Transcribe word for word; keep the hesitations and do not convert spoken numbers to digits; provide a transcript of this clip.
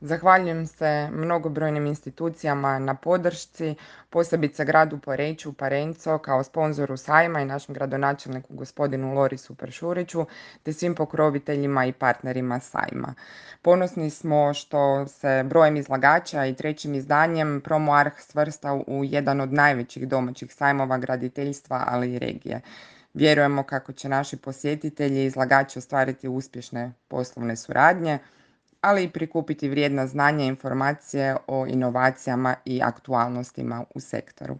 Zahvaljujem se mnogobrojnim institucijama na podršci, posebice gradu Poreču, Parenco kao sponzoru sajma i našem gradonačelniku gospodinu Lorisu Peršuriću, te svim pokroviteljima i partnerima sajma. Ponosni smo što se brojem izlagača i trećim izdanjem Promo Arh svrsta u jedan od najvećih domaćih sajmova graditeljstva, ali i regije. Vjerujemo kako će naši posjetitelji i izlagači ostvariti uspješne poslovne suradnje, ali i prikupiti vrijedna znanja i informacije o inovacijama i aktualnostima u sektoru.